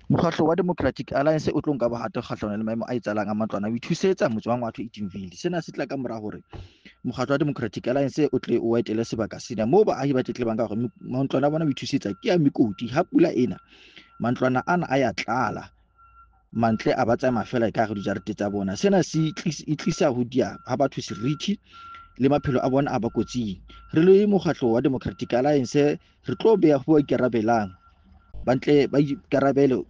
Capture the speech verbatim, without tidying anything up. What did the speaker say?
Mokgatlo wa Democratic Alliance o tlo nka bohato kgahlanong le maemo a etsahalang a matlwana ho ithusetsa motse wa Ngwatho Edenville. Sena se tla ka mora hore mokgatlo wa Democratic Alliance o tle o etele sebaka sena moo baahi ba tletlebang ka hore mantlwana a bona ho ithusetsa ke a mekoti. Ha pula ena, mantlwana ana a ya tlala, mantle a ba tsamaya feela ka hare dijarete tsa bona. Sena se tlisa ho diya ha batho seriti le maphelo a bona a ba kotsing. Re le mokgatlo wa Democratic Alliance re tlo beha ho ba ikarabelang, ba ntle ba ikarabele